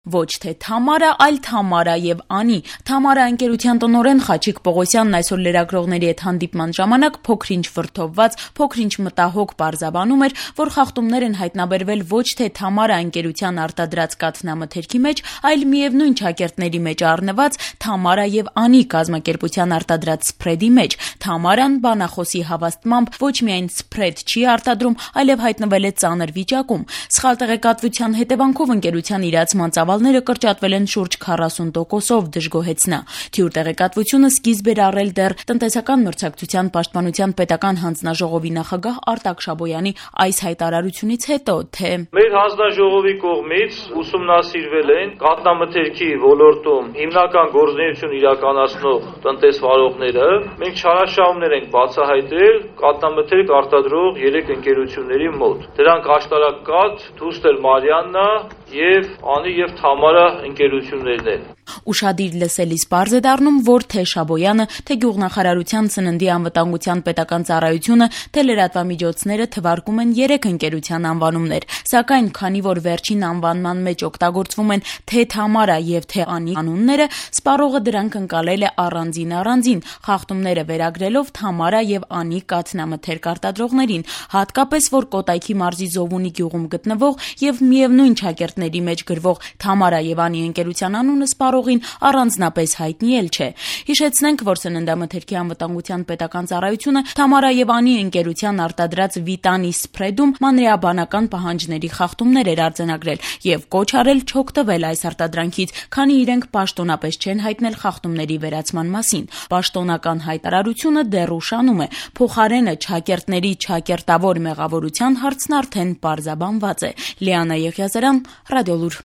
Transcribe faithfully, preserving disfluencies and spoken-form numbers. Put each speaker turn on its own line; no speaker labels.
Ոչ թե Թամարա, այլ Թամարա եւ Անի։ Թամարա ընկերության տնօրեն Խաչիկ Պողոսյանն այսօր լրագրողների հետ հանդիպման ժամանակ փոքրինչ վրդովված, փոքրինչ մտահոգ պարզաբանում էր, որ խախտումներ են հայտնաբերվել ոչ թե Թամարա ընկերության արտադրած կաթնամթերքի մեջ, այլ միևնույն ճակերտների մեջ առնված Թամարա եւ Անի կազմակերպության արտադրած սփրեդի մեջ։ Թամարան բանախոսի հավաստմամբ ոչ միայն սփրեդ չի արտադրում, այլև հայտնվել է ծանր վիճակում։ Սխալ տեղեկատվության հետևանքով ընկերության իրացման ծավալները կրճատվել են շուրջ քառասուն տոկոսով, դժգոհեց նա։ Թյուր տեղեկատվությունը սկիզբ էր առել դեռ տնտեսական մրցակցության պաշտպանության պետական հանձնաժողովի նախագահ Արտակ Շաբոյանի այս հայտարարությունից հետո, թե
մեր հանձնաժողովի կողմից ուսումնասիրվել են կաթնամթերքի ոլորտում հիմնական գործունեություն իրականացնող տնտեսվարողները։ Մենք չարաշահումներ ենք բացահայտել կաթնամթերք արտադրող երեք ընկերությունների մոտ։ Դրանք Աշտարակկաթ, Թուստեր Մարիաննա եւ Անի եւ Թամարա ընկերություններն են։
Ուշադիր լսելիս պարզ է դառնում, որ թե Շաբոյանը, թե Գյուղնախարարության ծննդի անվտանգության պետական ծառայությունը, թե լրատվամիջոցները թվարկում են երեք ընկերության անվանումներ, սակայն քանի որ վերջին անվանման մեջ օգտագործվում են թե Թամարա եւ թե Անի անունները, սպառողը դրանք ընկալել է առանձին առանձին, խախտումները վերագրելով Թամարա եւ Անի կաթնամթերք արտադրողներին, հատկապես որ Կոտայքի մարզի Զովունի գյուղում գտնվող եւ միևնույն ճակերտների մեջ գրվող Թամարա եւ Անի ընկերության անունը սպառողին առանձնապես հայտնի էլ չէ։ Հիշեցնենք, որ սննդամթերքի անվտանգության պետական ծառայությունը Թամարա եւ Անի ընկերության արտադրած Վիտանի սփրեդում մանրեաբանական պահանջների խախտումներ էր արձանագրել եւ կոչ արել չօգտվել այս արտադրանքից, քանի իրենք պաշտոնապես չեն հայտնել խախտումների վերացման մասին։ Պաշտոնական հայտարարությունը դեռ ուշանում է։ Փոխարենը ճակերտների ճակերտավոր մեղավորության հարցն արդեն պարզաբանված է։ Լիանա Եղիազարյան, Ռադիոլուր։